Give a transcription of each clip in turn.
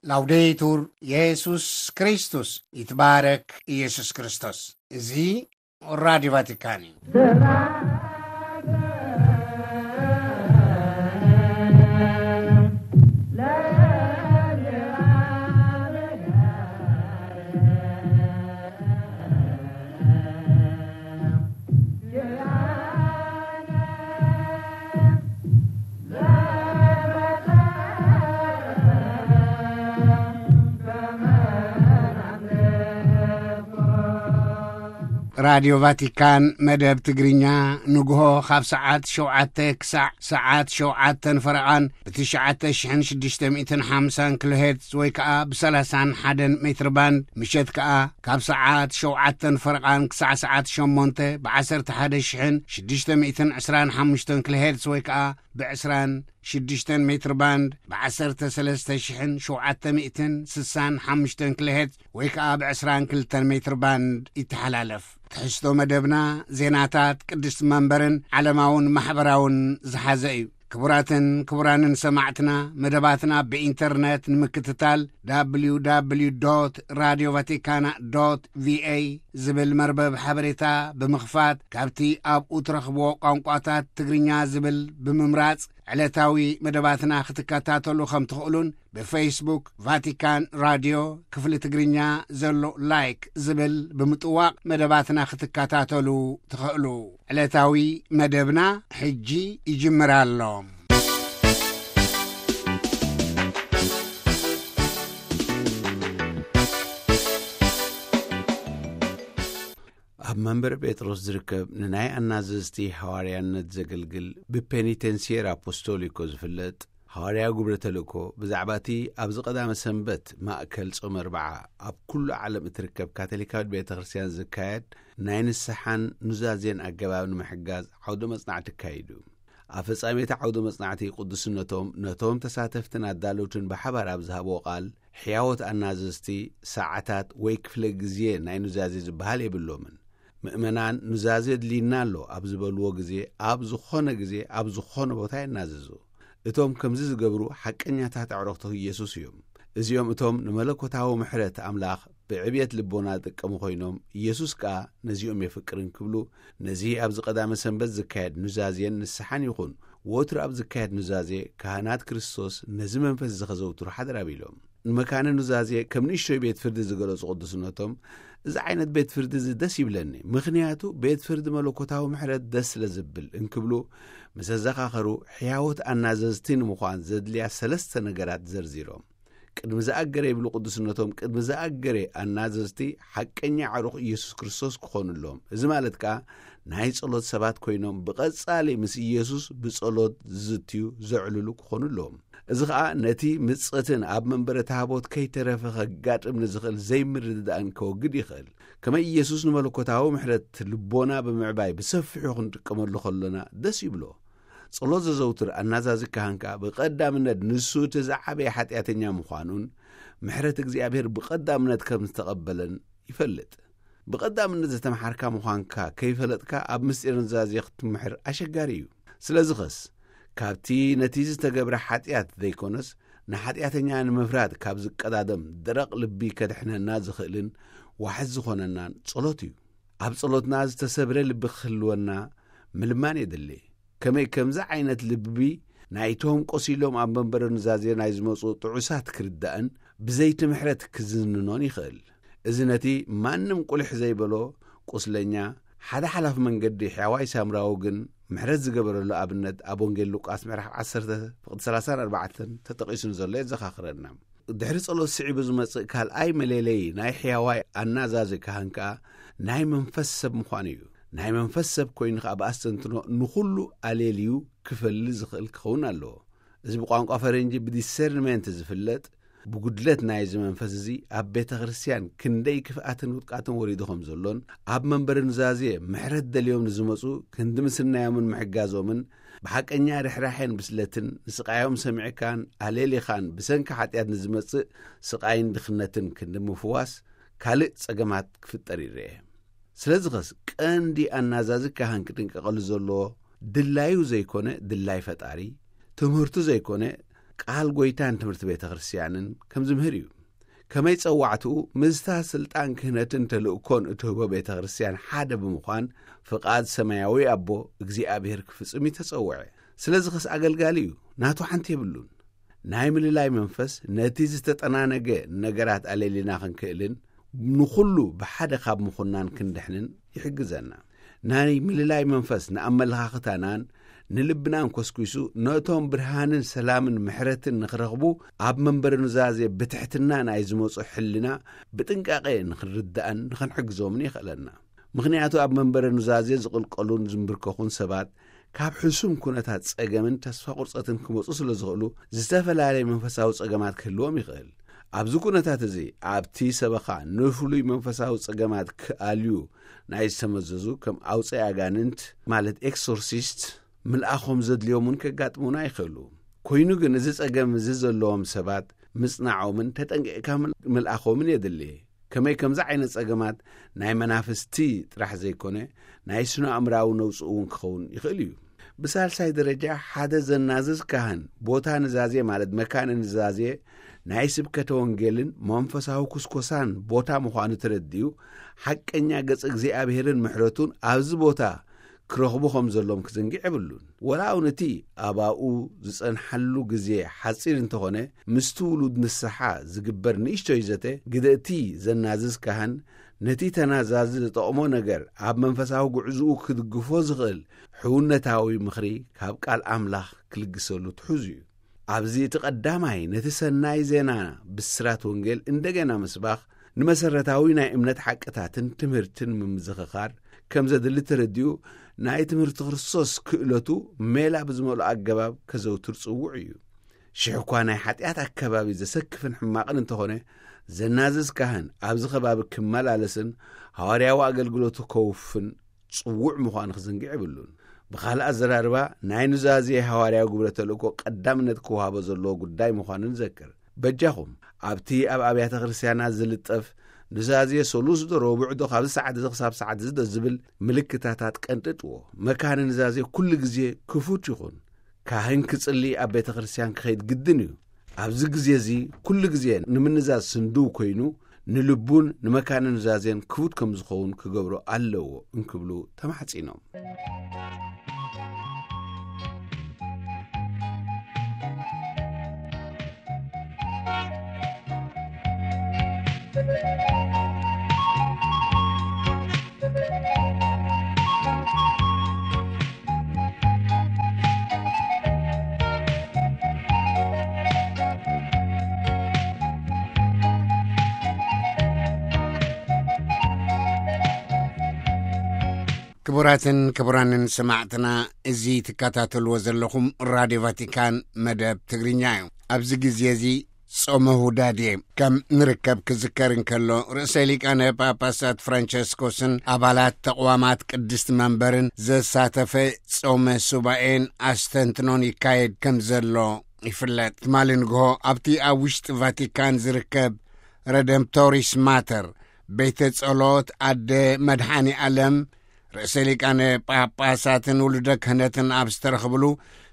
ላውዴቱር የሱስ ክርስቶስ፣ ይትባረክ ኢየሱስ ክርስቶስ። እዚ ራዲዮ ቫቲካን እዩ። ራዲዮ ቫቲካን መደብ ትግርኛ ንግሆ ካብ ሰዓት ሸውዓተ ክሳዕ ሰዓት ሸውዓተን ፈረቓን ብትሽዓተ ሽሕን ሽዱሽተ ሚእትን ሓምሳን ኪሎ ሄርትዝ ወይ ከኣ ብሰላሳን ሓደን ሜትር ባንድ፣ ምሸት ከኣ ካብ ሰዓት ሸውዓተን ፈረቓን ክሳዕ ሰዓት ሸሞንተ ብዓሰርተ ሓደ ሽሕን ሽዱሽተ ሚእትን ዕስራን ሓሙሽተን ኪሎ ሄርትዝ ወይ ከኣ ብዕስራን ሽዱሽተን ሜትር ባንድ ብዓሰርተ ሰለስተ ሽሕን ሸውዓተ ሚእትን ስሳን ሓሙሽተን ኪሎ ሄርትዝ ወይ ከኣ ብዕስራን ክልተን ሜትር ባንድ ይተሓላለፍ። ትሕዝቶ መደብና ዜናታት ቅድስቲ መንበርን ዓለማውን ማሕበራውን ዝሓዘ እዩ። ክቡራትን ክቡራንን ሰማዕትና፣ መደባትና ብኢንተርነት ንምክትታል፣ www radio vaticana ቪኤ ዝብል መርበብ ሓበሬታ ብምኽፋት፣ ካብቲ ኣብኡ ትረኽብዎ ቋንቋታት ትግርኛ ዝብል ብምምራጽ፣ ዕለታዊ መደባትና ክትከታተሉ ከም ትኽእሉን፣ ብፌስቡክ ቫቲካን ራድዮ ክፍሊ ትግርኛ ዘሎ ላይክ ዝብል ብምጥዋቕ መደባትና ክትከታተሉ ትኽእሉ። ዕለታዊ መደብና ሕጂ ይጅምር ኣሎ። ኣብ መንበር ጴጥሮስ ዝርከብ ንናይ ኣናዘዝቲ ሃዋርያነት ዘገልግል ብፔኒቴንሲየር ኣፖስቶሊኮ ዝፍለጥ ሃዋርያ ግብረ ተልእኮ ብዛዕባ እቲ ኣብዚ ቀዳመ ሰንበት ማእከል ጾመ ኣርብዓ ኣብ ኩሉ ዓለም እትርከብ ካቶሊካዊት ቤተ ክርስቲያን ዝካየድ ናይ ንስሓን ኑዛዜን ኣገባብ ንምሕጋዝ ዓውደ መጽናዕቲ ኣካይዱ። ኣብ ፍጻሜ እቲ ዓውደ መጽናዕቲ ቅዱስነቶም ነቶም ተሳተፍትን ኣዳለውትን ብሓባር ኣብ ዝሃብዎ ቃል፣ ሕያዎት ኣናዘዝቲ ሰዓታት ወይ ክፍለ ግዜ ናይ ኑዛዜ ዝበሃል የብሎምን። ምእመናን ኑዛዜ ድልይና ኣሎ ኣብ ዝበልዎ ግዜ፣ ኣብ ዝኾነ ግዜ፣ ኣብ ዝኾነ ቦታ ይናዘዙ። እቶም ከምዚ ዝገብሩ ሓቀኛታት ኣዕሩኽቲ ኢየሱስ እዮም። እዚኦም እቶም ንመለኮታዊ ምሕረት ኣምላኽ ብዕብየት ልቦና ዝጥቀሙ ኮይኖም፣ ኢየሱስ ከኣ ነዚኦም የፍቅርን ክብሉ፣ ነዚ ኣብዚ ቀዳመ ሰንበት ዝካየድ ኑዛዜን ንስሓን ይኹን፣ ወትሩ ኣብ ዝካየድ ኑዛዜ፣ ካህናት ክርስቶስ ነዚ መንፈስ እዚ ኸዘውትሩ ሓደራ ቢሎም። ንመካነ ኑዛዜ ከም ንእሽቶይ ቤት ፍርዲ ዝገለጹ ቅዱስነቶም፣ እዚ ዓይነት ቤት ፍርዲ እዚ ደስ ይብለኒ፣ ምኽንያቱ ቤት ፍርዲ መለኮታዊ ምሕረት ደስ ስለ ዝብል እንክብሉ ምስ ኣዘኻኸሩ፣ ሕያዎት ኣናዘዝቲ ንምዃን ዘድልያ ሰለስተ ነገራት ዘርዚሮም። ቅድሚ ዝኣገረ ይብሉ ቅዱስነቶም፣ ቅድሚ ዝኣገረ ኣናዘዝቲ ሓቀኛ ዕሩኽ ኢየሱስ ክርስቶስ ክኾኑ ኣለዎም። እዚ ማለት ከኣ ናይ ጸሎት ሰባት ኮይኖም ብቐጻሊ ምስ ኢየሱስ ብጸሎት ዝዝትዩ፣ ዘዕልሉ ክኾኑ ኣለዎም። እዚ ኸኣ ነቲ ምጸትን ኣብ መንበረ ታቦት ከይተረፈ ከጋጥም ንዝኽእል ዘይምርድዳእን ከወግድ ይኽእል። ከመይ ኢየሱስ ንመለኮታዊ ምሕረት ልቦና ብምዕባይ ብሰፊሑ ክንጥቀመሉ ከሎና ደስ ይብሎ። ጸሎት ዘዘውትር ኣናዛዚ ካህን ከኣ ብቐዳምነት ንሱ እቲ ዝዓበየ ሓጢኣተኛ ምዃኑን ምሕረት እግዚኣብሔር ብቐዳምነት ከም ዝተቐበለን ይፈልጥ። ብቐዳምነት ዝተምሓርካ ምዃንካ ከይፈለጥካ ኣብ ምስጢር ኑዛዜ ክትምሕር ኣሸጋሪ እዩ። ስለዚ ኸስ ካብቲ ነቲ ዝተገብረ ሓጢኣት ዘይኮነስ ንሓጢኣተኛ ንምፍራድ ካብ ዝቀዳደም ደረቕ ልቢ ከድሕነና ዝኽእልን ዋሕስ ዝኾነናን ጸሎት እዩ። ኣብ ጸሎትና ዝተሰብረ ልቢ ክህልወና ምልማን የድሊ። ከመይ ከምዚ ዓይነት ልቢ ናይቶም ቆሲሎም ኣብ መንበረ ኑዛዜ ናይ ዝመጹ ጥዑሳት ክርዳእን ብዘይቲ ምሕረት ክዝንኖን ይኽእል። እዚ ነቲ ማንም ቁልሕ ዘይበሎ ቁስለኛ፣ ሓደ ሓላፊ መንገዲ ሕያዋይ ሳምራዊ ግን ምሕረት ዝገበረሉ ኣብነት ኣብ ወንጌል ሉቃስ ምዕራፍ ዓሰርተ ፍቕዲ ሰላሳን ኣርባዕተን ተጠቒሱ ንዘሎ የዘኻኽረና። ድሕሪ ጸሎት ስዒቡ ዝመጽእ ካልኣይ መለለዪ ናይ ሕያዋይ ኣናዛዚ ካህን ከኣ ናይ መንፈስ ሰብ ምዃኑ እዩ። ናይ መንፈስ ሰብ ኮይኑ ከኣ ብኣስተንትኖ ንኹሉ ኣሌልዩ ክፈሊ ዝኽእል ክኸውን ኣለዎ። እዚ ብቋንቋ ፈረንጂ ብዲሰርንመንት ዝፍለጥ ብጉድለት ናይዚ መንፈስ እዚ ኣብ ቤተ ክርስቲያን ክንደይ ክፍኣትን ውድቃትን ወሪዱ ከም ዘሎን ኣብ መንበሪ ኑዛዜ ምሕረት ደልዮም ንዝመጹ ክንዲ ምስናዮምን ምሕጋዞምን ብሓቀኛ ርሕራሐን ብስለትን ንስቓዮም ሰሚዕካን ኣሌሊኻን ብሰንኪ ሓጢኣት ንዝመጽእ ስቓይን ድኽነትን ክንዲ ምፍዋስ ካልእ ጸገማት ክፍጠር ይረአ። ስለዚ ኸስ ቀንዲ ኣናዛዚ ካህን ክጥንቀቐሉ ዘለዎ ድላዩ ዘይኮነ ድላይ ፈጣሪ፣ ትምህርቱ ዘይኮነ ቃል ጎይታን ትምህርቲ ቤተ ክርስቲያንን ከም ዝምህር እዩ። ከመይ ጸዋዕትኡ ምስታ ስልጣን ክህነትን ተልእኮን እትህቦ ቤተ ክርስቲያን ሓደ ብምዃን ፍቓድ ሰማያዊ ኣቦ እግዚኣብሔር ክፍጽም እዩ ተጸውዐ። ስለዚ ኸስ ኣገልጋሊ እዩ፣ ናቱ ሓንቲ የብሉን። ናይ ምልላይ መንፈስ ነቲ ዝተጠናነገ ነገራት ኣለሊና ክንክእልን ንኹሉ ብሓደ ካብ ምኹናን ክንድሕንን ይሕግዘና። ናይ ምልላይ መንፈስ ንኣመለኻኽታናን ንልብናን ኮስኪሱ ነቶም ብርሃንን ሰላምን ምሕረትን ንኽረኽቡ ኣብ መንበረ ኑዛዜ ብትሕትና ናይ ዝመጹ ሕልና ብጥንቃቄ ንኽንርዳእን ንኽንሕግዞምን የኽእለና። ምኽንያቱ ኣብ መንበረ ኑዛዜ ዝቕልቀሉን ዝንብርከኹን ሰባት ካብ ሕሱም ኩነታት ጸገምን ተስፋ ቁርጸትን ክመጹ ስለ ዝኽእሉ ዝተፈላለየ መንፈሳዊ ጸገማት ክህልዎም ይኽእል። ኣብዚ ኩነታት እዚ ኣብቲ ሰበኻ ንፍሉይ መንፈሳዊ ጸገማት ክኣልዩ ናይ ዝተመዘዙ ከም ኣውፀይ ኣጋንንት ማለት ኤክሶርሲስት ምልኣኾም ዘድልዮም እውን ከጋጥሙና ይኽእሉ። ኮይኑ ግን እዚ ጸገም እዚ ዘለዎም ሰባት ምጽናዖምን ተጠንቂቕካ ምል- ምልኣኾምን የድሊ። ከመይ ከምዚ ዓይነት ጸገማት ናይ መናፍስቲ ጥራሕ ዘይኮነ ናይ ስነ ኣእምራዊ ነውፂ እውን ክኸውን ይኽእል እዩ። ብሳልሳይ ደረጃ ሓደ ዘናዝዝ ካህን ቦታ ንዛዜ ማለት መካነ ንዛዜ ናይ ስብከተ ወንጌልን መንፈሳዊ ኩስኮሳን ቦታ ምዃኑ ተረዲኡ ሓቀኛ ገጽ እግዚኣብሔርን ምሕረቱን ኣብዚ ቦታ ክረኽቡ ከም ዘሎም ክዝንግዕ የብሉን። ወላ እውን እቲ ኣባኡ ዝጸንሓሉ ግዜ ሓጺር እንተኾነ ምስቲ ውሉድ ንስሓ ዝግበር ንእሽቶይ ዘተ ግደ እቲ ዘናዝዝ ካህን ነቲ ተናዛዚ ዝጠቕሞ ነገር ኣብ መንፈሳዊ ጉዕዝኡ ክድግፎ ዝኽእል ሕውነታዊ ምኽሪ ካብ ቃል ኣምላኽ ክልግሰሉ ትሑዝ እዩ። ኣብዚ እቲ ቀዳማይ ነቲ ሰናይ ዜና ብስራት ወንጌል እንደገና ምስባኽ ንመሰረታዊ ናይ እምነት ሓቅታትን ትምህርትን ምምዝኽኻር ከም ዘድሊ ተረዲኡ ናይ ትምህርቲ ክርስቶስ ክእለቱ ሜላ ብዝመልኦ ኣገባብ ከዘውትር ጽውዕ እዩ። ሽሕ እኳ ናይ ሓጢኣት ኣከባቢ ዘሰክፍን ሕማቕን እንተኾነ ዘናዝዝ ካህን ኣብዚ ከባቢ ክመላለስን ሃዋርያዊ ኣገልግሎቱ ከውፍን ጽውዕ ምዃኑ ክዝንግዕ የብሉን። ብኻልእ ኣዘራርባ ናይ ኑዛዜ ሃዋርያዊ ግብረ ተልእኮ ቀዳምነት ክወሃቦ ዘለዎ ጉዳይ ምዃኑ ንዘክር። በጃኹም ኣብቲ ኣብ ኣብያተ ክርስቲያናት ዝልጠፍ ኑዛዜ ሰሉስ ዶ ረቡዕ ዶ ካብዚ ሰዓት እዚ ክሳብ ሰዓት እዚ ዶ ዝብል ምልክታታት ቀንጥጥዎ። መካነ ኑዛዜ ኩሉ ግዜ ክፉት ይኹን። ካህን ክጽሊ ኣብ ቤተ ክርስቲያን ክኸይድ ግድን እዩ። ኣብዚ ግዜ እዚ ኩሉ ግዜ ንምንዛዝ ስንድው ኮይኑ ንልቡን ንመካነ ኑዛዜን ክፉት ከም ዝኸውን ክገብሮ ኣለዎ እንክብሉ ተማሕጺኖም። ክቡራትን ክቡራንን ሰማዕትና፣ እዚ ትከታተልዎ ዘለኹም ራድዮ ቫቲካን መደብ ትግርኛ እዩ። ኣብዚ ግዜ እዚ ጾመ ሁዳዴ ከም ንርከብ ክዝከር እንከሎ፣ ርእሰ ሊቃነ ጳጳሳት ፍራንቸስኮስን ኣባላት ተቕዋማት ቅድስቲ መንበርን ዘሳተፈ ጾመ ሱባኤን ኣስተንትኖን ይካየድ ከም ዘሎ ይፍለጥ። ትማሊ ንግሆ ኣብቲ ኣብ ውሽጢ ቫቲካን ዝርከብ ረደምቶሪስ ማተር ቤተ ጸሎት ኣደ መድሓኒ ዓለም ርእሰ ሊቃነ ጳጳሳትን ውሉደ ክህነትን ኣብ ዝተረኽብሉ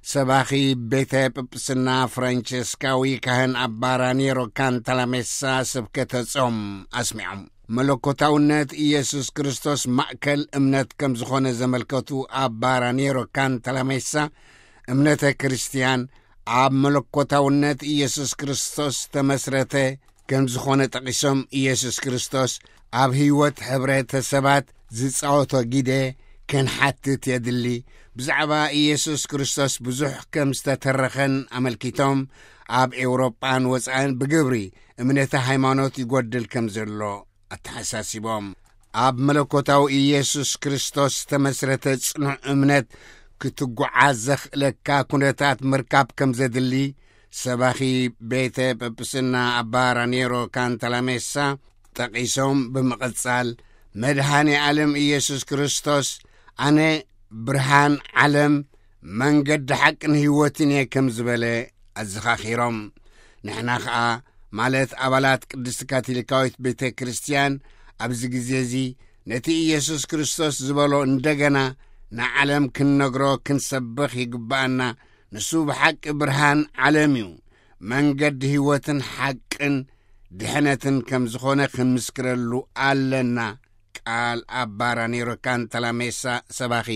ሰባኺ ቤተ ጵጵስና ፍራንቸስካዊ ካህን ኣባ ራኒሮ ካንታላሜሳ ስብከተ ጾም ኣስሚዖም። መለኮታውነት ኢየሱስ ክርስቶስ ማእከል እምነት ከም ዝኾነ ዘመልከቱ ኣባ ራኒሮ ካንታላሜሳ እምነተ ክርስትያን ኣብ መለኮታውነት ኢየሱስ ክርስቶስ ተመስረተ ከም ዝኾነ ጠቒሶም፣ ኢየሱስ ክርስቶስ ኣብ ህይወት ሕብረተሰባት ዝጻወቶ ግደ ክንሓትት የድሊ። ብዛዕባ ኢየሱስ ክርስቶስ ብዙሕ ከም ዝተተረኸን ኣመልኪቶም፣ ኣብ ኤውሮጳን ወጻእን ብግብሪ እምነተ ሃይማኖት ይጎድል ከም ዘሎ ኣተሓሳሲቦም። ኣብ መለኮታዊ ኢየሱስ ክርስቶስ ዝተመስረተ ጽኑዕ እምነት ክትጓዓዝ ዘኽእለካ ኩነታት ምርካብ ከም ዘድሊ ሰባኺ ቤተ ጵጵስና ኣባ ራኔሮ ካንታላሜሳ ጠቒሶም ብምቕጻል፣ መድኃኔ ዓለም ኢየሱስ ክርስቶስ፣ "ኣነ ብርሃን ዓለም፣ መንገዲ ሓቅን ህይወትን እየ" ከም ዝበለ ኣዘኻኺሮም። ንሕና ኸኣ፣ ማለት ኣባላት ቅድስቲ ካቶሊካዊት ቤተ ክርስቲያን፣ ኣብዚ ግዜ እዚ ነቲ ኢየሱስ ክርስቶስ ዝበሎ እንደገና ንዓለም ክንነግሮ ክንሰብኽ ይግብኣና። ንሱ ብሓቂ ብርሃን ዓለም እዩ። መንገዲ ህይወትን ሓቅን ድሕነትን ከም ዝኾነ ክንምስክረሉ ኣለና። ቃል ኣባ ራኔሮ ካንታላሜሳ፣ ሰባኺ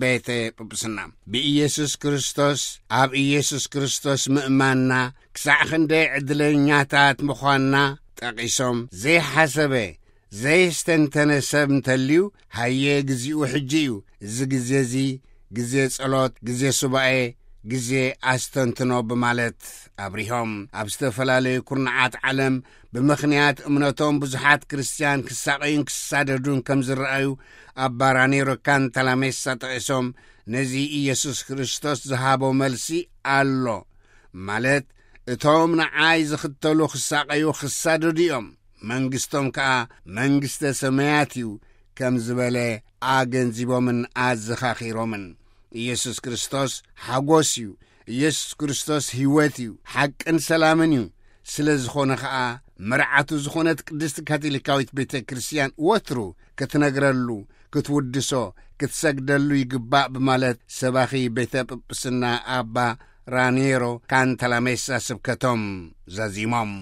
ቤተ ጵጵስና። ብኢየሱስ ክርስቶስ፣ ኣብ ኢየሱስ ክርስቶስ ምእማንና ክሳዕ ክንደይ ዕድለኛታት ምዃንና ጠቒሶም፣ ዘይሓሰበ፣ ዘየስተንተነ ሰብ እንተልዩ፣ ሃየ፣ ግዚኡ ሕጂ እዩ። እዚ ግዜ እዚ ግዜ ጸሎት፣ ግዜ ሱባኤ፣ ግዜ ኣስተንትኖ ብማለት ኣብሪሆም። ኣብ ዝተፈላለዩ ኩርናዓት ዓለም ብምኽንያት እምነቶም ብዙሓት ክርስትያን ክሳቐዩን ክሳደዱን ከም ዝረኣዩ ኣባ ራኔሮ ካንታላሜሳ ጠቒሶም፣ ነዚ ኢየሱስ ክርስቶስ ዝሃቦ መልሲ ኣሎ። ማለት፣ እቶም ንዓይ ዝኽተሉ ክሳቐዩ ክሳደዱ እዮም፣ መንግስቶም ከኣ መንግስተ ሰማያት እዩ ከም ዝበለ ኣገንዚቦምን ኣዘኻኺሮምን። ኢየሱስ ክርስቶስ ሓጎስ እዩ። ኢየሱስ ክርስቶስ ህይወት እዩ፣ ሓቅን ሰላምን እዩ። ስለ ዝኾነ ኸኣ መርዓቱ ዝኾነት ቅድስቲ ካቶሊካዊት ቤተ ክርስቲያን ወትሩ ክትነግረሉ፣ ክትውድሶ፣ ክትሰግደሉ ይግባእ ብማለት ሰባኺ ቤተ ጵጵስና ኣባ ራኔሮ ካንታላሜሳ ስብከቶም ዛዚሞም።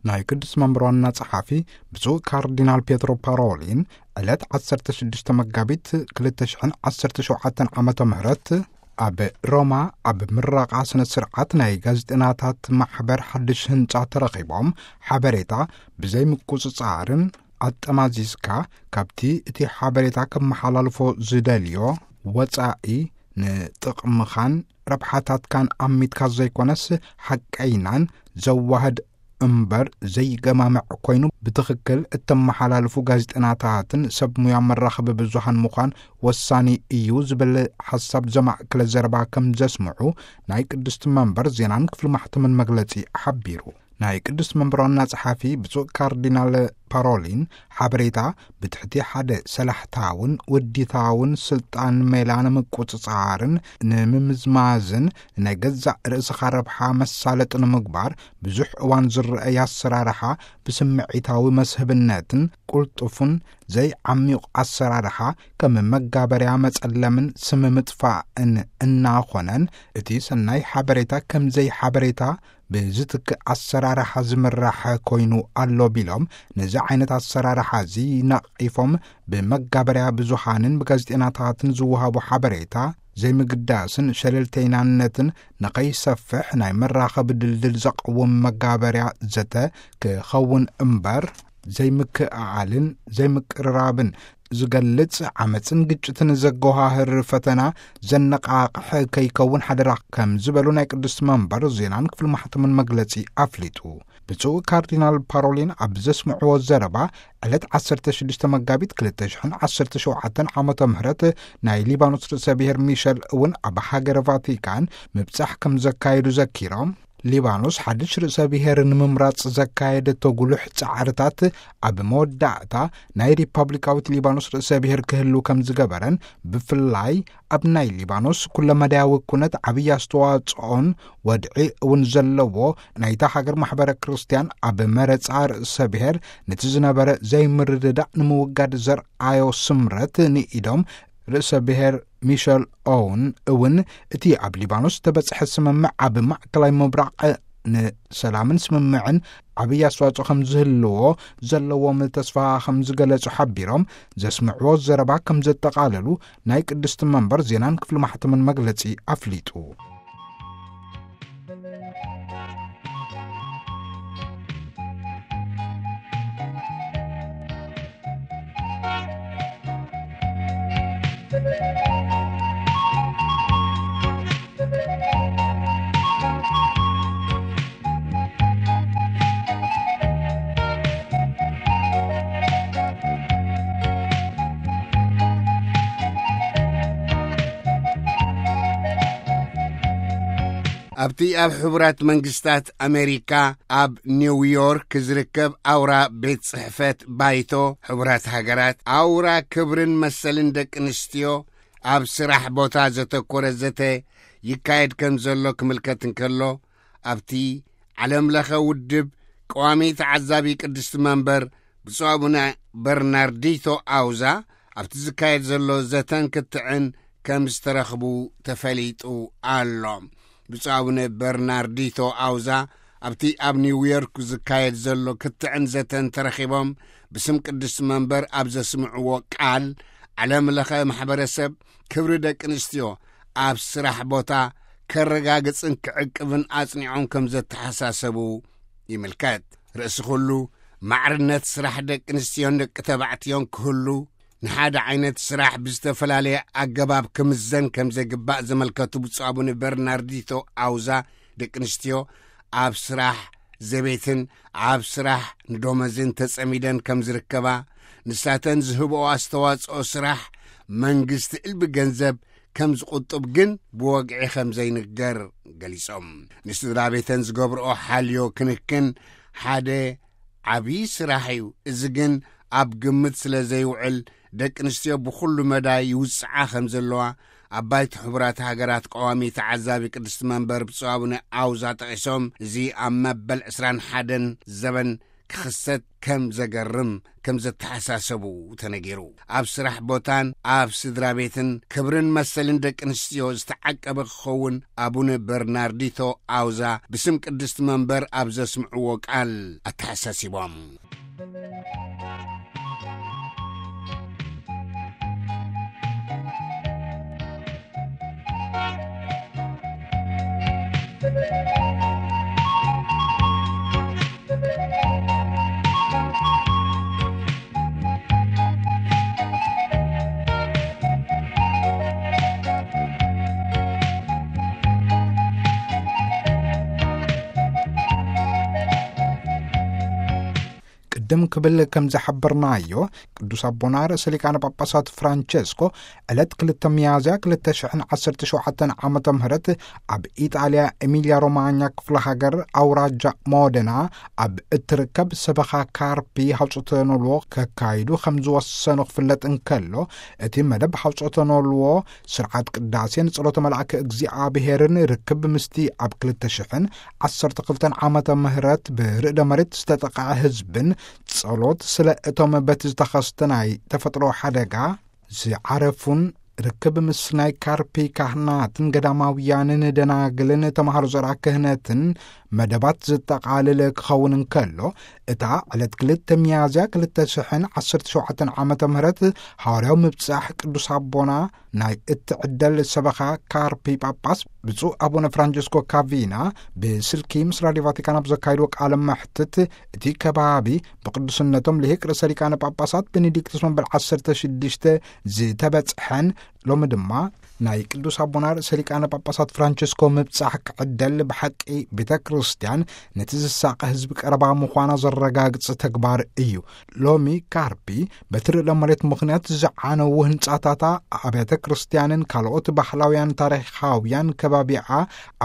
ናይ ቅዱስ መንበር ዋና ጸሓፊ ብፁዕ ካርዲናል ፔትሮ ፓሮሊን ዕለት ዓሰርተ ሽዱሽተ መጋቢት ክልተ ሽሕን ዓሰርተ ሸውዓተን ዓመተ ምህረት ኣብ ሮማ ኣብ ምረቓ ስነ ስርዓት ናይ ጋዜጠናታት ማሕበር ሓድሽ ህንጻ ተረኺቦም፣ ሓበሬታ ብዘይ ምቁጽጻርን ኣጠማዚዝካ ካብቲ እቲ ሓበሬታ ከመሓላልፎ ዝደልዮ ወጻኢ ንጥቕምኻን ረብሓታትካን ኣሚትካ ዘይኮነስ፣ ሓቀይናን ዘዋህድ እምበር ዘይገማምዕ ኮይኑ ብትኽክል እተመሓላልፉ ጋዜጠናታትን ሰብ ሙያ መራኸቢ ብዙሃን ምዃን ወሳኒ እዩ ዝብል ሓሳብ ዘማእከለ ዘረባ ከም ዘስምዑ ናይ ቅድስቲ መንበር ዜናን ክፍሊ ማሕተምን መግለጺ ሓቢሩ። ናይ ቅድስቲ መንበር ዋና ጸሓፊ ብፁዕ ካርዲናል ፓሮሊን፣ ሓበሬታ ብትሕቲ ሓደ ሰላሕታውን ውዲታውን ስልጣን ሜላ ንምቁጽጻርን ንምምዝማዝን ናይ ገዛእ ርእስኻ ረብሓ መሳለጢ ንምግባር ብዙሕ እዋን ዝረኣይ ኣሰራርሓ ብስምዒታዊ መስህብነትን ቅልጡፍን ዘይዓሚቑ ኣሰራርሓ ከም መጋበርያ መጸለምን ስም ምጥፋእን እናኾነን፣ እቲ ሰናይ ሓበሬታ ከም ዘይሓበሬታ ብዝትክእ ኣሰራርሓ ዝምራሕ ኮይኑ ኣሎ ቢሎም፣ ነዚ ዓይነት ኣሰራርሓ እዚ ነቒፎም፣ ብመጋበርያ ብዙሃንን ብጋዜጠናታትን ዝወሃቡ ሓበሬታ ዘይምግዳስን ሸለልተይናነትን ንኸይሰፍሕ ናይ መራኸቢ ድልድል ዘቕውም መጋበርያ ዘተ ክኸውን እምበር፣ ዘይምክእኣልን ዘይምቅርራብን ዝገልጽ፣ ዓመጽን ግጭትን ዘጎሃህር ፈተና ዘነቓቕሕ ከይከውን ሓደራ ከም ዝበሉ ናይ ቅድስቲ መንበር ዜናን ክፍሊ ማሕተምን መግለጺ ኣፍሊጡ። ብፁዕ ካርዲናል ፓሮሊን ኣብ ዘስምዕዎ ዘረባ፣ ዕለት ዓሰርተ ሽዱሽተ መጋቢት ክልተ ሽሕን ዓሰርተ ሸውዓተን ዓመተ ምህረት ናይ ሊባኖስ ርእሰ ብሔር ሚሸል እውን ኣብ ሃገረ ቫቲካን ምብጻሕ ከም ዘካየዱ ዘኪሮም፣ ሊባኖስ ሓድሽ ርእሰ ብሔር ንምምራጽ ዘካየደቶ ጉሉሕ ጻዕርታት ኣብ መወዳእታ ናይ ሪፓብሊካዊት ሊባኖስ ርእሰ ብሔር ክህሉ ከም ዝገበረን፣ ብፍላይ ኣብ ናይ ሊባኖስ ኩለመዳያዊ ኩነት ዓብዪ ኣስተዋጽኦን ወድዒ እውን ዘለዎ ናይታ ሃገር ማሕበረ ክርስትያን ኣብ መረጻ ርእሰ ብሔር ነቲ ዝነበረ ዘይምርድዳእ ንምውጋድ ዘርኣዮ ስምረት ንኢዶም፣ ርእሰ ብሔር ሚሸል ኦውን እውን እቲ ኣብ ሊባኖስ ዝተበጽሐ ስምምዕ ኣብ ማእከላይ ምብራቕ ንሰላምን ስምምዕን ዓብዪ ኣስተዋጽኦ ከም ዝህልዎ ዘለዎም ተስፋ ከም ዝገለጹ ሓቢሮም፣ ዘስምዕዎ ዘረባ ከም ዘጠቓለሉ ናይ ቅድስቲ መንበር ዜናን ክፍሊ ማሕተምን መግለጺ ኣፍሊጡ። ኣብቲ ኣብ ሕቡራት መንግስታት ኣሜሪካ ኣብ ኒውዮርክ ዝርከብ ኣውራ ቤት ጽሕፈት ባይቶ ሕቡራት ሃገራት፣ ኣውራ ክብርን መሰልን ደቂ ኣንስትዮ ኣብ ስራሕ ቦታ ዘተኮረ ዘተ ይካየድ ከም ዘሎ ክምልከት እንከሎ፣ ኣብቲ ዓለምለኸ ውድብ ቀዋሚ ተዓዛቢ ቅድስቲ መንበር ብፁዕ ኣቡነ በርናርዲቶ ኣውዛ ኣብቲ ዝካየድ ዘሎ ዘተን ክትዕን ከም ዝተረኽቡ ተፈሊጡ ኣሎ። ብፁዕ ኣቡነ በርናርዲቶ ኣውዛ ኣብቲ ኣብ ኒውዮርክ ዝካየድ ዘሎ ክትዕን ዘተን ተረኺቦም ብስም ቅድስቲ መንበር ኣብ ዘስምዕዎ ቃል፣ ዓለምለኸ ማሕበረሰብ ክብሪ ደቂ ኣንስትዮ ኣብ ስራሕ ቦታ ከረጋግጽን ክዕቅብን ኣጽኒዖም ከም ዘተሓሳሰቡ ይምልከት። ርእሲ ኩሉ፣ ማዕርነት ስራሕ ደቂ ኣንስትዮን ደቂ ተባዕትዮን ክህሉ፣ ንሓደ ዓይነት ስራሕ ብዝተፈላለየ ኣገባብ ክምዘን ከም ዘግባእ ዘመልከቱ ብፁዕ ኣቡነ በርናርዲቶ ኣውዛ፣ ደቂ ኣንስትዮ ኣብ ስራሕ ዘቤትን ኣብ ስራሕ ንደሞዝን ተጸሚደን ከም ዝርከባ፣ ንሳተን ዝህብኦ ኣስተዋጽኦ ስራሕ መንግስቲ እልቢ ገንዘብ ከም ዝቑጥብ ግን ብወግዒ ከም ዘይንገር ገሊጾም። ንስድራ ቤተን ዝገብርኦ ሓልዮ ክንክን ሓደ ዓብዪ ስራሕ እዩ። እዚ ግን ኣብ ግምት ስለ ዘይውዕል፣ ደቂ ኣንስትዮ ብኹሉ መዳይ ይውጽዓ ከም ዘለዋ ኣብ ባይቶ ሕቡራት ሃገራት ቀዋሚ ተዓዛቢ ቅድስቲ መንበር ብፁዕ ኣቡነ ኣውዛ ጠቒሶም፣ እዚ ኣብ መበል ዕስራን ሓደን ዘበን ክኽሰት ከም ዘገርም ከም ዘተሓሳሰቡ ተነጊሩ። ኣብ ስራሕ ቦታን ኣብ ስድራ ቤትን ክብርን መሰልን ደቂ ኣንስትዮ ዝተዓቀበ ክኸውን ኣቡነ በርናርዲቶ ኣውዛ ብስም ቅድስቲ መንበር ኣብ ዘስምዕዎ ቃል ኣተሓሳሲቦም። ቅድም ክብል ከም ዝሓበርናዮ፣ ቅዱስ ኣቦና ርእሰ ሊቃነ ጳጳሳት ፍራንቸስኮ ዕለት ክልተ ሚያዝያ ክልተ ሽሕን ዓሰርተ ሸውዓተን ዓመተ ምህረት ኣብ ኢጣልያ ኤሚልያ ሮማኛ ክፍለ ሃገር ኣውራጃ ሞደና ኣብ እትርከብ ሰበኻ ካርፒ ሃውጾተ ኖልዎ ከካይዱ ከም ዝወሰኑ ክፍለጥ እንከሎ፣ እቲ መደብ ሃውጾተ ኖልዎ ስርዓት ቅዳሴን ጸሎተ መልኣከ እግዚኣብሔርን ርክብ ምስቲ ኣብ ክልተ ሽሕን ዓሰርተ ክልተን ዓመተ ምህረት ብርእደ መሬት ዝተጠቕዐ ህዝብን ጸሎት ስለ እቶም በቲ ዝተኸስተ ናይ ተፈጥሮ ሓደጋ ዝዓረፉን ርክብ ምስ ናይ ካርፒ ካህናትን ገዳማውያንን ደናግልን ተምሃሮ ዘርኣ ክህነትን መደባት ዘጠቓልል ክኸውን እንከሎ፣ እታ ዕለት ክልተ ሚያዝያ ክልተ ሽሕን ዓሰርተ ሸውዓተን ዓመተ ምህረት ሃዋርያዊ ምብጻሕ ቅዱስ ኣቦና ናይ እትዕደል ሰበኻ ካርፒ ጳጳስ ብፁዕ ኣቡነ ፍራንቸስኮ ካቪና ብስልኪ ምስ ራድዮ ቫቲካን ኣብ ዘካይድዎ ቃለ መሕትት፣ እቲ ከባቢ ብቅዱስነቶም ልሂቅ ርእሰ ሊቃነ ጳጳሳት ቤኔዲክቶስ መበል ዓሰርተ ሽዱሽተ ዝተበጽሐን ሎሚ ድማ ናይ ቅዱስ ኣቦና ርእሰ ሊቃነ ጳጳሳት ፍራንቸስኮ ምብጻሕ ክዕደል ብሓቂ ቤተ ክርስቲያን ነቲ ዝሳቐ ህዝቢ ቀረባ ምዃና ዘረጋግጽ ተግባር እዩ። ሎሚ ካርፒ በቲ ርእደ መሬት ምኽንያት ዝዓነዉ ህንጻታታ፣ ኣብያተ ክርስቲያንን ካልኦት ባህላውያን ታሪኻውያን ከባቢኣ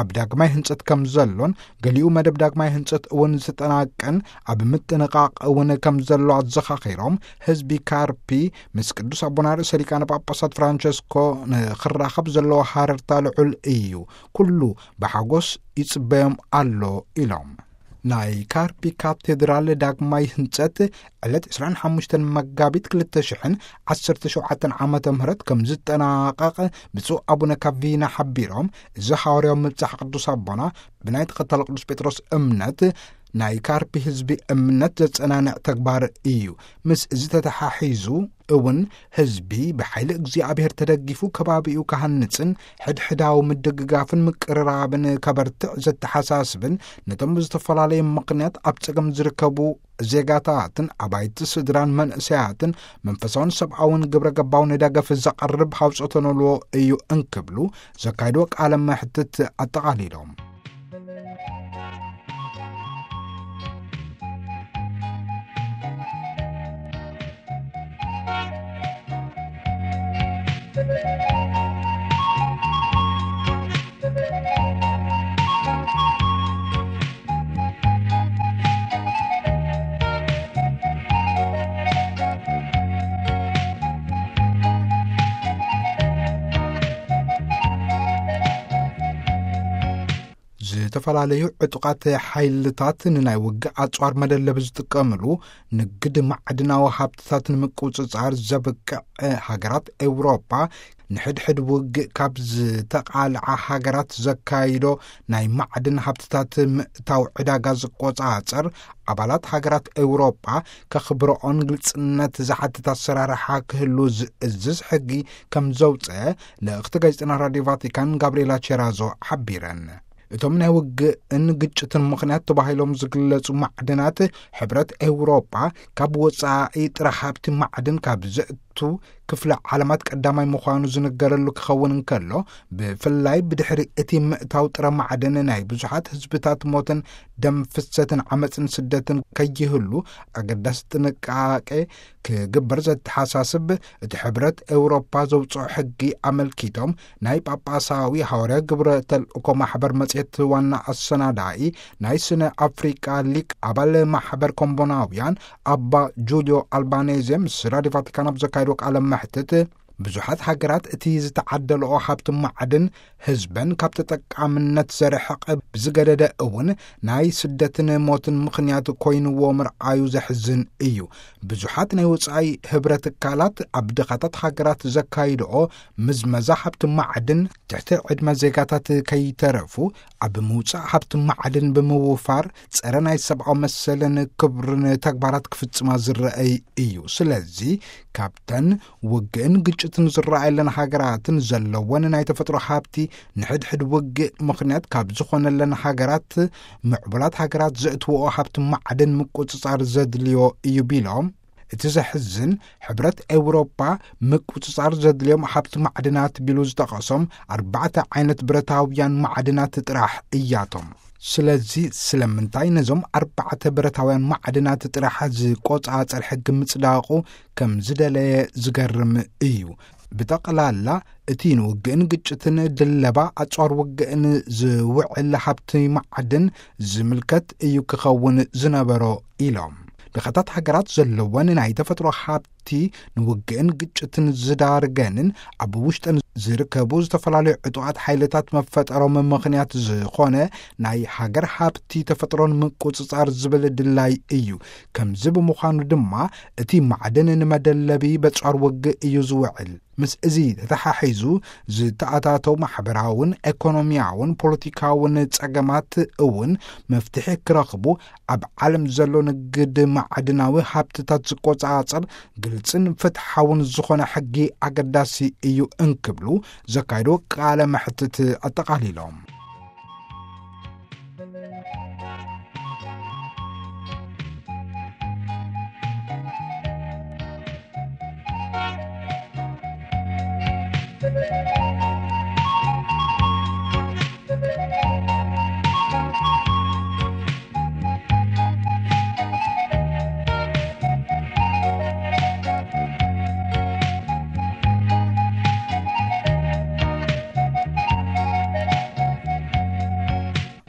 ኣብ ዳግማይ ህንጸት ከም ዘሎን፣ ገሊኡ መደብ ዳግማይ ህንጸት እውን ዝተጠናቀን ኣብ ምጥንቓቕ እውን ከም ዘሎ ኣዘኻኺሮም፣ ህዝቢ ካርፒ ምስ ቅዱስ ኣቦና ርእሰ ሊቃነ ጳጳሳት ፍራንቸስኮ ንኽራኸብ ዘለዎ ሃረርታ ልዑል እዩ። ኩሉ ብሓጎስ ይጽበዮም ኣሎ ኢሎም። ናይ ካርፒ ካቴድራል ዳግማይ ህንጸት ዕለት ዕስራን ሓሙሽተን መጋቢት ክልተ ሽሕን ዓሰርተ ሸውዓተን ዓመተ ምህረት ከም ዝጠናቐቕ ብፁዕ ኣቡነ ካቪና ሓቢሮም፣ እዚ ሃዋርያዊ ምብጻሕ ቅዱስ ኣቦና ብናይ ተኸታሊ ቅዱስ ጴጥሮስ እምነት ናይ ካርፒ ህዝቢ እምነት ዘጸናንዕ ተግባር እዩ። ምስ እዚ ተተሓሒዙ እውን ህዝቢ ብሓይሊ እግዚኣብሔር ተደጊፉ ከባቢኡ ክሃንጽን ሕድሕዳዊ ምድግጋፍን ምቅርራብን ከበርትዕ ዘተሓሳስብን ነቶም ብዝተፈላለየ ምኽንያት ኣብ ጸገም ዝርከቡ ዜጋታትን ኣባይቲ ስድራን መንእሰያትን መንፈሳውን ሰብኣውን ግብረ ገባውን ደገፍ ዘቐርብ ሃውጾተ ኖልዎ እዩ እንክብሉ ዘካይድዎ ቃለ መሕትት ኣጠቓሊሎም። ዝተፈላለዩ ዕጡቓት ሓይልታት ንናይ ውግእ ኣጽዋር መደለቢ ዝጥቀምሉ ንግድ ማዕድናዊ ሃብትታት ንምቁጽጻር ዘብቅዕ፣ ሃገራት ኤውሮጳ ንሕድሕድ ውግእ ካብ ዝተቓልዓ ሃገራት ዘካይዶ ናይ ማዕድን ሃብትታት ምእታው ዕዳጋ ዝቆጻጸር፣ ኣባላት ሃገራት ኤውሮጳ ከኽብረኦን ግልጽነት ዝሓትት ኣሰራርሓ ክህሉ ዝእዝዝ ሕጊ ከም ዘውጸ ልእኽቲ ጋዜጠና ራድዮ ቫቲካን ጋብሪኤላ ቼራዞ ሓቢረን። እቶም ናይ ውግእን ግጭትን ምኽንያት ተባሂሎም ዝግለጹ ማዕድናት፣ ሕብረት ኤውሮጳ ካብ ወጻኢ ጥረ ሃብቲ ማዕድን ካብ ዘእቱ ክፍለ ዓለማት ቀዳማይ ምዃኑ ዝንገረሉ ክኸውን እንከሎ፣ ብፍላይ ብድሕሪ እቲ ምእታው ጥረ ማዕድን ናይ ብዙሓት ህዝብታት ሞትን ደም ፍሰትን ዓመፅን ስደትን ከይህሉ ኣገዳሲ ጥንቃቄ ክግበር ዘተሓሳስብ እቲ ሕብረት ኤውሮፓ ዘውፅኦ ሕጊ ኣመልኪቶም፣ ናይ ጳጳሳዊ ሃዋርያ ግብረ ተልእኮ ማሕበር መፅሄት ዋና ኣሰናዳኢ፣ ናይ ስነ ኣፍሪቃ ሊቅ ኣባል ማሕበር ኮምቦናውያን ኣባ ጁልዮ ኣልባኔዜ ምስ ራዲዮ ቫቲካን ኣብ ዘካየዶ ቃለ መሕትት፣ ብዙሓት ሃገራት እቲ ዝተዓደለኦ ሃብቲ ማዕድን ህዝበን ካብ ተጠቃምነት ዘርሕቐ ብዝገደደ እውን ናይ ስደትን ሞትን ምኽንያት ኮይንዎ ምርኣዩ ዘሕዝን እዩ። ብዙሓት ናይ ወጻኢ ህብረት ትካላት ኣብ ድኻታት ሃገራት ዘካይድኦ ምዝመዛ ሃብቲ ማዕድን ትሕቲ ዕድመ ዜጋታት ከይተረፉ ኣብ ምውጻእ ሃብቲ ማዕድን ብምውፋር ጸረ ናይ ሰብኣዊ መሰልን ክብርን ተግባራት ክፍጽማ ዝረኣይ እዩ። ስለዚ ካብተን ውግእን ግጭትን ዝረኣየለን ሃገራትን ዘለወን ናይ ተፈጥሮ ሃብቲ ንሕድሕድ ውግእ ምኽንያት ካብ ዝኾነለን ሃገራት፣ ምዕቡላት ሃገራት ዘእትውኦ ሃብቲ ማዕድን ምቁጽጻር ዘድልዮ እዩ ቢሎም፣ እቲ ዘሕዝን ሕብረት ኤውሮፓ ምቁጽጻር ዘድልዮም ሃብቲ ማዕድናት ቢሉ ዝጠቐሶም ኣርባዕተ ዓይነት ብረታውያን ማዕድናት ጥራሕ እያቶም። ስለዚ ስለምንታይ ነዞም ኣርባዕተ ብረታውያን ማዕድናት ጥራሕ ዝቆጻጸር ሕጊ ምጽዳቑ ከም ዝደለየ ዝገርም እዩ። ብጠቕላላ እቲ ንውግእን ግጭትን ድለባ ኣጽዋር ውግእን ዝውዕል ሃብቲ ማዕድን ዝምልከት እዩ ክኸውን ዝነበሮ ኢሎም። ድኻታት ሃገራት ዘለወን ናይ ተፈጥሮ ሃብቲ ንውግእን ግጭትን ዝዳርገንን ኣብ ውሽጠን ዝርከቡ ዝተፈላለዩ ዕጡቓት ሓይልታት መፈጠሮም ምኽንያት ዝኾነ ናይ ሃገር ሃብቲ ተፈጥሮን ምቁጽጻር ዝብል ድላይ እዩ። ከምዚ ብምዃኑ ድማ እቲ ማዕድን ንመደለቢ በጽዋር ውግእ እዩ ዝውዕል። ምስ እዚ ተተሓሒዙ ዝተኣታተው ማሕበራውን ኤኮኖሚያውን ፖለቲካውን ጸገማት እውን መፍትሒ ክረኽቡ ኣብ ዓለም ዘሎ ንግድ ማዕድናዊ ሃብትታት ዝቆጻጸር ግልጽን ፍትሓውን ዝኾነ ሕጊ ኣገዳሲ እዩ እንክብሉ ዘካየዶ ቃለ መሕትት ኣጠቓሊሎም።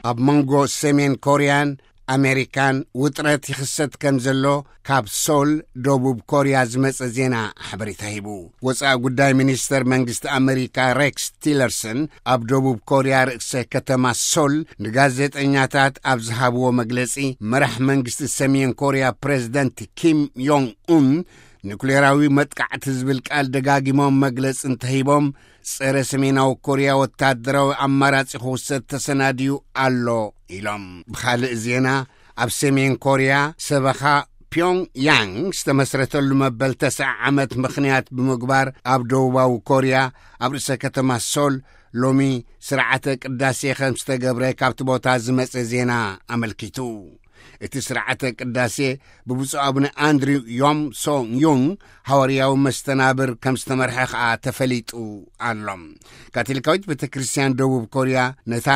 ኣብ መንጎ ሰሜን ኮርያን ኣሜሪካን ውጥረት ይኽሰት ከም ዘሎ ካብ ሶል፣ ደቡብ ኮርያ ዝመጸ ዜና ሓበሬታ ሂቡ። ወጻኢ ጉዳይ ሚኒስተር መንግስቲ ኣሜሪካ ሬክስ ቲለርሰን ኣብ ደቡብ ኮርያ ርእሰ ከተማ ሶል ንጋዜጠኛታት ኣብ ዝሃብዎ መግለጺ፣ መራሕ መንግስቲ ሰሜን ኮርያ ፕሬዝደንት ኪም ዮንግ ኡን ኑክሌራዊ መጥቃዕቲ ዝብል ቃል ደጋጊሞም መግለጺ እንተሂቦም፣ ጸረ ሰሜናዊ ኮርያ ወታደራዊ ኣማራጺ ክውሰድ ተሰናድዩ ኣሎ ኢሎም። ብኻልእ ዜና፣ ኣብ ሰሜን ኮርያ ሰበኻ ፒዮንግ ያንግ ዝተመስረተሉ መበል ተስዓ ዓመት ምኽንያት ብምግባር፣ ኣብ ደቡባዊ ኮርያ ኣብ ርእሰ ከተማ ሶል ሎሚ ስርዓተ ቅዳሴ ከም ዝተገብረ ካብቲ ቦታ ዝመጸ ዜና ኣመልኪቱ። እቲ ስርዓተ ቅዳሴ ብብፁዕ ኣቡነ ኣንድሪው ዮም ሶንግ ዩንግ ሃዋርያዊ መስተናብር ከም ዝተመርሐ ከኣ ተፈሊጡ ኣሎ። ካቶሊካዊት ቤተ ክርስቲያን ደቡብ ኮርያ ነታ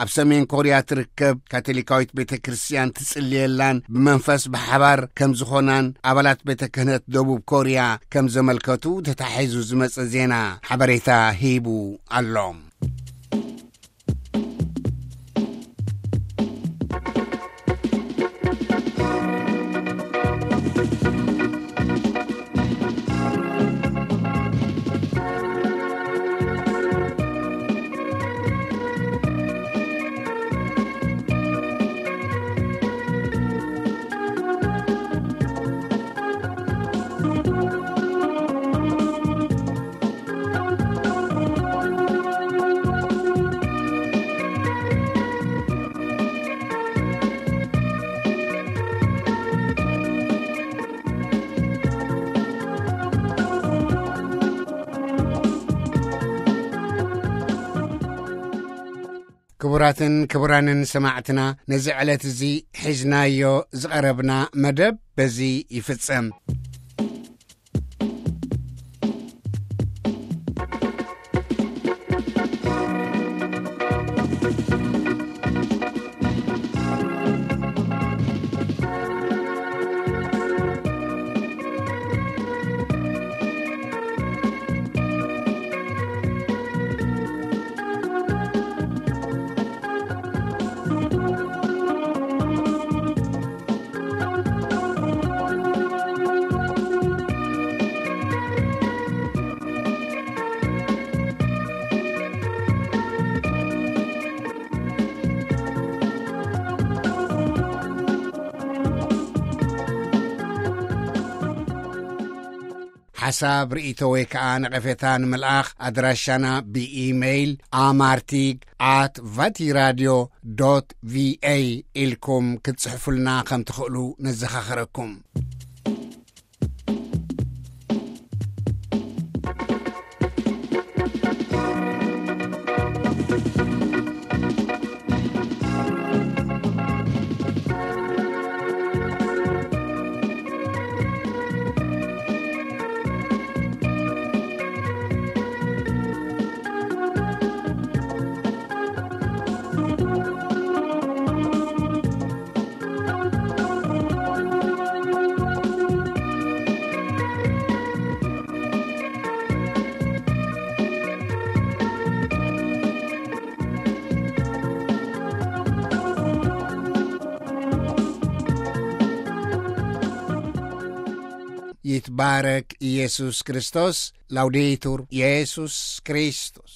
ኣብ ሰሜን ኮርያ ትርከብ ካቶሊካዊት ቤተ ክርስቲያን ትጽልየላን ብመንፈስ ብሓባር ከም ዝኾናን ኣባላት ቤተ ክህነት ደቡብ ኮርያ ከም ዘመልከቱ ተታሒዙ ዝመጸ ዜና ሓበሬታ ሂቡ ኣሎ። ክቡራትን ክቡራንን ሰማዕትና፣ ነዚ ዕለት እዚ ሒዝናዮ ዝቐረብና መደብ በዚ ይፍጸም። ሓሳብ፣ ርእይቶ ወይ ከኣ ነቐፌታ ንምልኣኽ፣ ኣድራሻና ብኢሜይል ኣማርቲግ ኣት ቫቲራድዮ ዶት ቪኤ ኢልኩም ክትጽሕፉልና ከም ትኽእሉ ነዘኻኽረኩም። ይትባረክ ኢየሱስ ክርስቶስ። ላውዴቱር ኢየሱስ ክርስቶስ።